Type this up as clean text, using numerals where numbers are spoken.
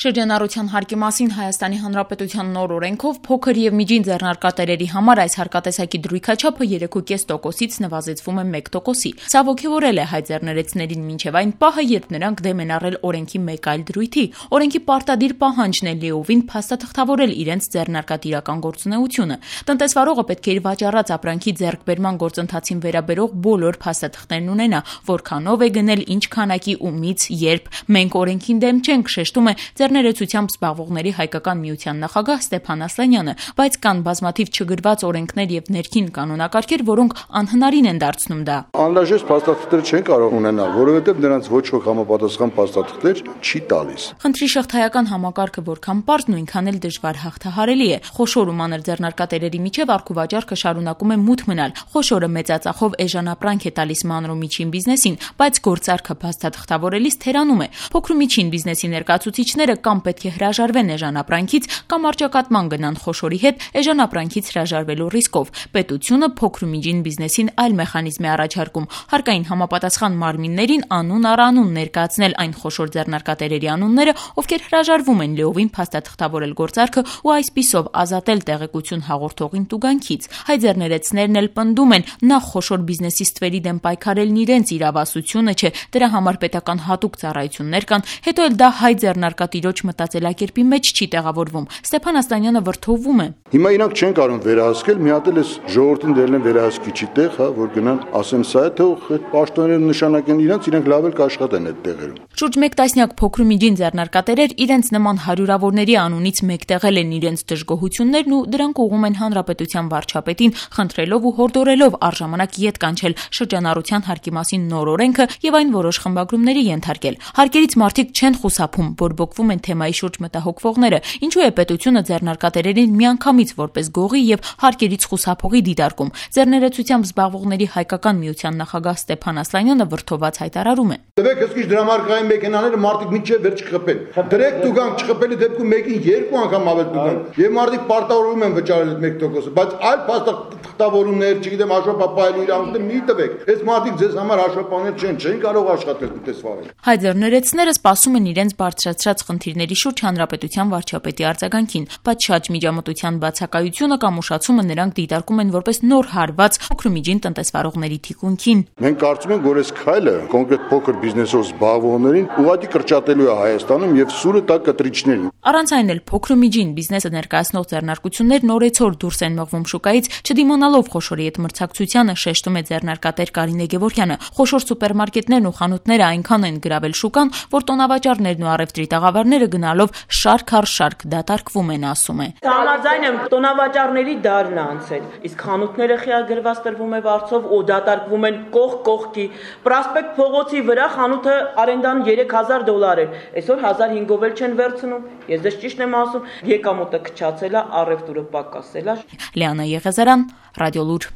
Շրջանառության հարկի մասին Հայաստանի Հանրապետության նոր օրենքով փոքր եւ միջին ձեռնարկատերերի համար այս հարկատեսակի դրույքաչափը 3,5%-ից նվազեցվում է 1%-ի։ Սա ոգևորել է հայ ձեռներեցներին մինչեւ այն պահը, երբ նրանք դեմ են առել օրենքի մեկ այլ դրույթի։ Օրենքի պարտադիր պահանջն է լիովին փաստաթղթավորել իրենց ձեռնարկատիրական գործունեությունը։ Տնտեսվարողը պետք է իր վաճառած ապրանքի ձեռքբերման գործընթացին վերաբերող բոլոր փաստաթղթերն ունենա, որքանով է գնել, ինչ քանակի ու մից, երբ։ Մենք օրենքին դեմ չենք, շեշտում է Ձեռներեցությամբ զբաղվողների հայկական միության նախագահ Ստեփան Ասլանյանը, բայց կան բազմաթիվ չգրված օրենքներ եւ ներքին կանոնակարգեր, որոնք անհնարին են դարձնում դա։ Անհրաժեշտ փաստաթղթեր չեն կարող ունենալ, որովհետեւ նրանց ոչ ոք համապատասխան փաստաթղթեր չի տալիս։ Խնդրի շղթայական համակարգը որքան պարզ, նույնքան էլ դժվար հաղթահարելի է։ Խոշոր ու մանր ձեռնարկատերերի միջև առքուվաճառքը շարունակում է մութ մնալ։ Խոշորը մեծածախով էժանապրանք է տալիս մանր ու միջին բիզնեսին, բայց գործարքը փաստաթղթավորելիս թերանում է։ Փոքր ու միջին բիզնեսի ներկայացուցիչները կամ պետք է հրաժարվեն էժանապրանքից, կամ արճակատման գնան խոշորի հետ էժանապրանքից հրաժարվելու ռիսկով։ Պետությունը փոքր ու միջին բիզնեսին այլ մեխանիզմ է առաջարկում՝ հարկային համապատասխան մարմիններին անուն առ անուն ներկայացնել այն խոշոր ձեռնարկատերերի անունները, ովքեր հրաժարվում են լիովին փաստաթղթավորել գործարքը ու այսպիսով ազատել տեղեկություն հաղորդողին տուգանքից։ Հայ ձեռներեցներն էլ պնդում են, նախ խոշոր բիզնեսի ստվերի դեմ պայքարելն իրենց իրավասությունը չէ, դրա համար պետական հատուկ ծառայություններ կան, հետո էլ դա հայ ձեռնարկատիրոջ մտածելակերպի մեջ չի տեղավորվում։ Ստեփան Ասլանյանը վրդովվում է։ Հիմա իրանք չեն կարող վերահսկել, մի հատ էլ էս ժողովրդին դերել են վերահսկիչի տեղ, որ գնան ասեն սա է, թող այդ պաշտոնները նշանակեն իրանք լավ էլ կաշխատեն այդ տեղերում։ Շուրջ 1 տասնյակ փոքր ու միջին ձեռնարկատերեր իրենց նման հարյուրավորների անունից մեկտեղել են իրենց դժգոհություններն ու դրանք ուղղում են հանրապետության վարչապետին, խնդրելով ու հորդորելով առժամանակ ետ կանչել շրջանառության հարկի մասին նոր օրենքը եւ այն որոշ խմբագրումների ենթարկել։ Հարկերից մարդիկ չեն խուսափում, բորբոքվում են թեմայի շուրջ մտահոգվողները։ Ինչու է պետությունը ձեռնարկատերերին միանգամից որպես գողի եւ հարկերից խուսափողի դիտարկում։ Ձեռներեցությամբ զբաղվողների հայկական միության նախագահ Ստեփան Ասլանյանը վրդոված հայտարարում է։ Դեպք հսկիչ դրամարկային մեքենաները մարդիկ մինչև վերջ չխփեն։ Դրեք տուգանք չխփելի դեպքում մեկին 2 անգամ ավել տուգանք։ Եվ մարդիկ պարտավորվում են վճարել այդ 1%-ը, բայց այլ փաստաթղթավորումներ, չգիտեմ, հաշվապահելու իրավունքներ մի տվեք։ Այս մարդիկ ձեզ համար հաշվապահներ չեն կարող աշխատել տնտեսվարել։ Հայ ձեռներեցները սպասում են իրենց բարձրացրած խնդիրների շուրջ հանրապետության վարչապետի արձագանքին, բայց շատ միջամտության բացակայությունը կամ ուշացումը նրանք դիտարկում են որպես նոր հարված փոքր ու միջին տնտեսվարողների թիկունքին։ Մենք կարծում ենք, որ այս քայլը կոնկրետ փոքր բիզնեսով զբաղվողներին ուղղակի կրճատելու է Հայաստանում եւ սուրը տա կտրիչներին։ Առանց այն էլ փոքր ու միջին բիզնեսը ներկայացնող ձեռնարկություններն օրեցօր դուրս են մղվում շուկայից, չդիմանալով խոշորի հետ մրցակցությանը, շեշտում է ձեռնարկատեր Կարինե Գևորգյանը։ Խոշոր սուպերմարկետներն ու խանութները այնքան են գրավել շուկան, որ տոնավաճառներն ու առևտրի տաղավարները գնալով շարք առ շարք դատարկվում են, ասում է։ Համաձայն եմ, տոնավաճառների դարն է անցել, իսկ խանութները խիագրված տրվում է վարձով ու դատարկվում են կողք կողքի։ Պրոսպեկտ փողոցի վրա խանութը արենդան $3000 էր, այսօր 1500 էլ չեն վերցնում։ Ես դες ճիշտն եմ ասում, եկամուտը քչացել է, առևտուրը պակասել է։ Լիանա Եղեզարյան, Ռադիոլուր։